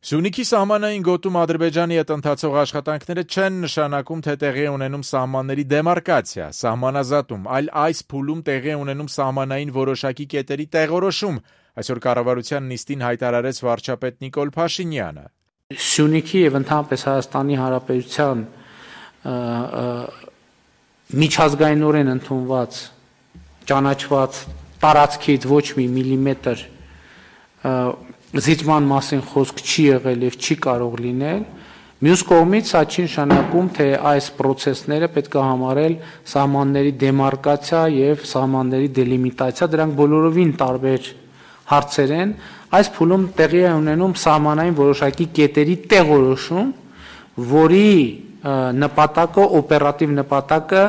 Սյունիքի սահմանային գոտում Ադրբեջանի հետ ընթացող աշխատանքները չեն նշանակում, թե տեղի է ունենում սահմանների դեմարկացիա, սահմանազատում, այլ այս փուլում տեղի է ունենում սահմանային որոշակի կետերի տեղորոշում, այսօր կառավարության նիստին հայտարարեց վարչապետ Նիկոլ Փաշինյանը։ Սյունիքի եւ ընդհանրապես Հայաստանի Հանրապետության միջազգայինորեն ընդունված, ճանաչված տարածքից ոչ մի միլիմետր զիջման մասին խոսք չի եղել եւ չի կարող լինել, մյուս կողմից սա չի նշանակում, թե այս process-ները պետք է համարել սահմանների դեմարկացիա եւ սահմանների դելիմիտացիա, դրանք բոլորովին տարբեր հարցեր են, այս փուլում տեղի է ունենում սահմանային որոշակի կետերի տեղորոշում, որի նպատակը, օպերատիվ նպատակը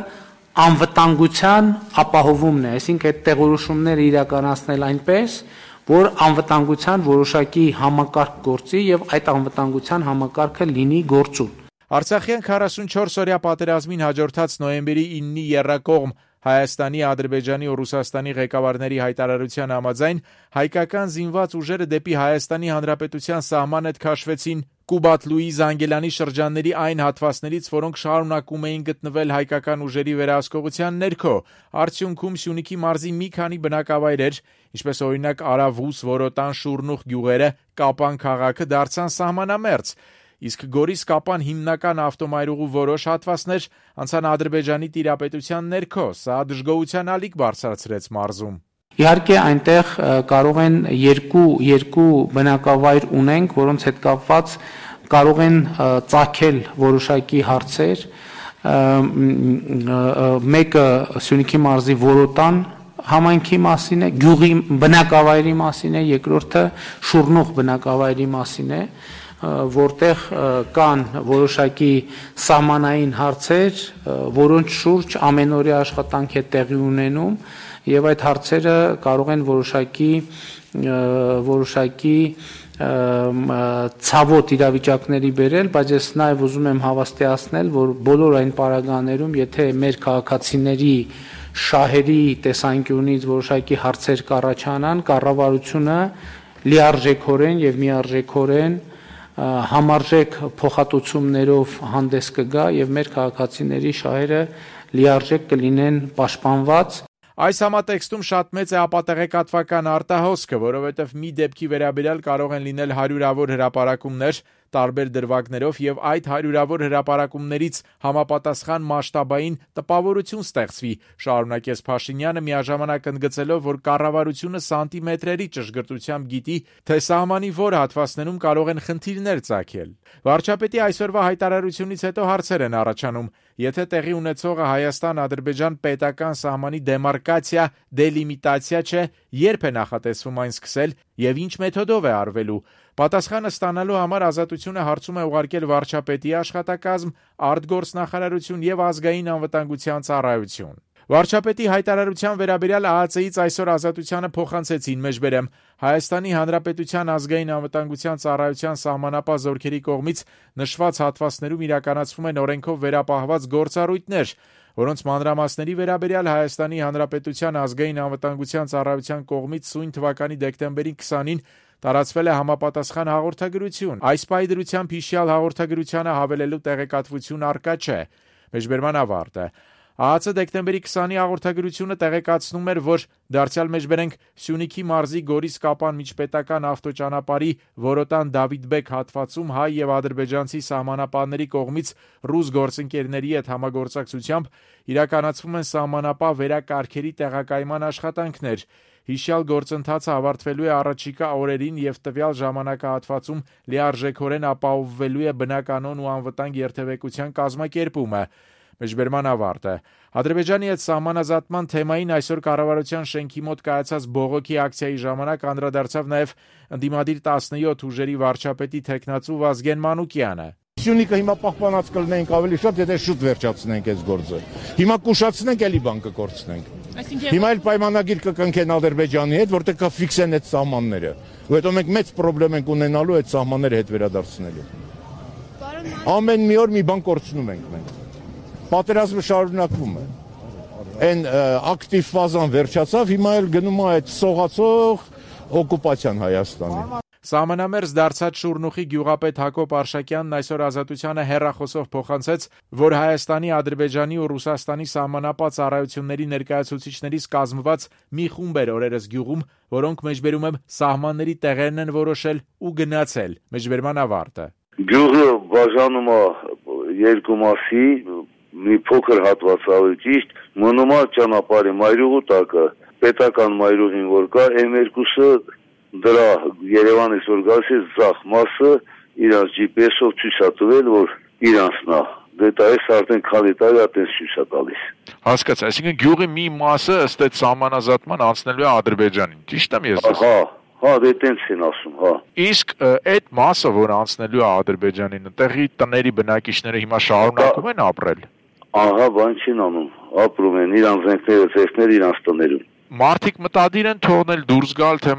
անվտանգության ապահովումն է, այսինքն այդ տեղորոշումները իրականացնել այնպես, որ անվտանգության որոշակի համակարգ գործի եւ այդ անվտանգության համակարգը լինի գործուն։ Արցախյան 44-օրյա պատերազմին հաջորդած նոյեմբերի 9-ի եռակողմ Հայաստանի, Ադրբեջանի ու Ռուսաստանի ղեկավարների հայտարարության համաձայն հայկական զինված ուժերը դեպի Հայաստանի Հանրապետության սահման հետ քաշվեցին Կուբատ-Լուի Զանգելանի շրջանների այն հատվածներից, որոնք շարունակում էին գտնվել հայկական ուժերի վերահսկողության ներքո, արդյունքում Սյունիքի մարզի մի քանի բնակավայրեր, ինչպես օրինակ Արավուս, Որոտան, Շուրնուխ գյուղերը, Կապան քաղաքը դարձան սահմանամերձ, իսկ Գորիս Կապան հիմնական ավտոմայրուղու որոշ հատվածներ անցան Ադրբեջանի տիրապետության ներքո, սա դժգոհության ալիք բարձրացրեց մարզում։ Իհարկե այնտեղ կարող են երկու բնակավայր ունենք, որոնց հետ կապված կարող են ծագել որոշակի հարցեր, մեկը Սյունիքի մարզի Որոտան համայնքի մասին է, գյուղի բնակավայրի մասին է, երկրորդը Շուրնուխ բնակավայրի մասին է, որտեղ կան որոշակի սահմանային հարցեր, որոնց շուրջ ամենօրյա աշխատանք է տեղի ունենում եւ այդ հարցերը կարող են որոշակի ցավոտ իրավիճակների բերել, բայց ես նաեւ ուզում եմ հավաստիացնել, որ բոլոր այն պարագաներում, եթե մեր քաղաքացիների շահերի տեսանկյունից որոշակի հարցեր կառաջանան, կառավարությունը լիարժեքորեն եւ միարժեքորեն համարժեք փոխհատուցումներով հանդես կգա եւ մեր քաղաքացիների շահերը լիարժեք կլինեն պաշտպանված։ Այս համատեքստում շատ մեծ է ապատեղեկատվական արտահոսքը, որովհետև մի դեպքի վերաբերյալ կարող են լինել հարյուրավոր հրապարակումներ տարբեր դրվագներով եւ այդ հարյուրավոր հրապարակումներից համապատասխան մասշտաբային տպավորություն ստեղծվի, շարունակեց Փաշինյանը միաժամանակ ընդգծելով, որ կառավարությունը սանտիմետրերի ճշգրտությամբ գիտի, թե սահմանի որ հատվածներում կարող են խնդիրներ ծագել։ Վարչապետի այսօրվա հայտարարությունից հետո հարցեր են առաջանում. Եթե տեղի ունեցողը Հայաստան-Ադրբեջան պետական սահմանի դեմարկացիա, դելիմիտացիա չէ, երբ է նախատեսվում այն սկսել եւ ինչ մեթոդով է արվելու։ Պատասխանը ստանալու համար Ազատությունը հարցում է ուղարկել վարչապետի աշխատակազմ, արտգործնախարարություն եւ ազգային անվտանգության ծառայություն։ Վարչապետի հայտարարության վերաբերյալ ԱԱՑ-ից այսօր Ազատությանը փոխանցեցին մեջբերեմ Հայաստանի Հանրապետության ազգային անվտանգության ծառայության սահմանապահ զորքերի կողմից նշված հատվածներում իրականացվում են օրենքով վերապահված գործառույթներ, որոնց մանրամասների վերաբերյալ Հայաստանի Հանրապետության ազգային անվտանգության ծառայության կողմից սույն թվականի դեկտեմբերի 20-ին տարածվել է համապատասխան հաղորդագրություն։ Այս պայդրությամբ հիշյալ հաղորդագրությանը հավելելու տեղեկատվություն առկա չէ։ Մեջբերման ավարտ է։ ԱԱՑ դեկտեմբերի 20-ի հաղորդագրությունը տեղեկացնում էր, որ դարձյալ մեջբերենք Սյունիքի մարզի Գորիս Կապան միջպետական ավտոճանապարհի Որոտան Դավիթբեկ հատվածում հայ եւ ադրբեջանցի սահմանապահների կողմից ռուս գործընկերների հետ համագործակցությամբ իրականացվում են սահմանապահ վերակարգերի տեղակայման աշխատանքներ։ Հիշյալ գործընթացը ավարտվելու է առաջիկա օրերին եւ տվյալ ժամանակահատվածում լիարժեքորեն ապահովվելու է բնականոն ու անվտանգ երթևեկության կազմակերպումը։ Մեջբերման ավարտ է։ Ադրբեջանի հետ սահմանազատման թեմային այսօր կառավարության շենքի մոտ կայացած բողոքի ակցիայի ժամանակ անդրադարձավ նաև ընդդիմադիր 17 ուժերի վարչապետի թեկնածու Վազգեն Մանուկյանը։ Սյունիքը հիմա պահպանած կլինենք ավելի շատ, եթե շուտ վերջացնենք այս գործը։ Հիմա կուշացնենք, էլի բան կկորցնենք։ Հիմա էլ պայմանագիր կկնքեն Ադրբեջանի հետ, որտեղ կֆիքսեն այդ սահմանները։ Ու հետո մենք մեծ խնդրեմ ենք ունենալու այդ սահմանները հետ վերադարձնելու։ Ամեն մի օր մի բան կորցնում ենք մենք։ Պատերազմը շարունակվում է։ Այն ակտիվ ֆազան վերջացավ, հիմա էլ գնում է այդ սողացող օկուպացիան Հայաստանի։ Սահմանամերձ դարձած Շուռնուխի գյուղապետ Հակոբ Արշակյանն այսօր Ազատությանը հեռախոսով փոխանցեց, որ Հայաստանի, Ադրբեջանի ու Ռուսաստանի սահմանապատ ծառայությունների ներկայացուցիչներից կազմված մի խումբ էր օրերս գյուղում, որոնք մեջբերում եմ սահմանների տեղերն են որոշել ու գնացել։ Մեջբերման ավարտը։ Գյուղը բաժանում է երկու մասի, մի փոքր հատված ավելի ճիշտ, մնում է ճանապարհի մայրուղու տակը, պետական մայրուղին որ կա, M2-ը դրա Երևանից որ գալիս է ձախ մասը իրանց GPS-ով ցույց է տվել, որ իրանցն է։ Դա էս արդեն քանի տարի այդպես ցույց է տալիս։ Հասկացա, այսինքն գյուղի մի մասը ըստ այդ սահմանազատման անցնելու է Ադրբեջանին, ճիշտ եմ ես։ Հա, դե տենց են ասում, հա։ Իսկ այդ մասը, որ անցնելու է Ադրբեջանին, տեղի տների բնակիչները հիմա շարունակում են ապրել։ Ահա, բան չեն անում, ապրում են իրանց զենքները, ծեսները իրանց տներում։ Մարդիկ մտադիր են թողնել դուրս գալ, թե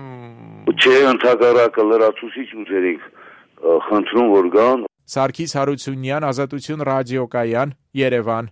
Չէ, ընդհակառակը լրացուցիչ ուժերին խնդրում որ գան։ Սարգիս Հարությունյան, Ազատություն ռադիոկայան, Երևան։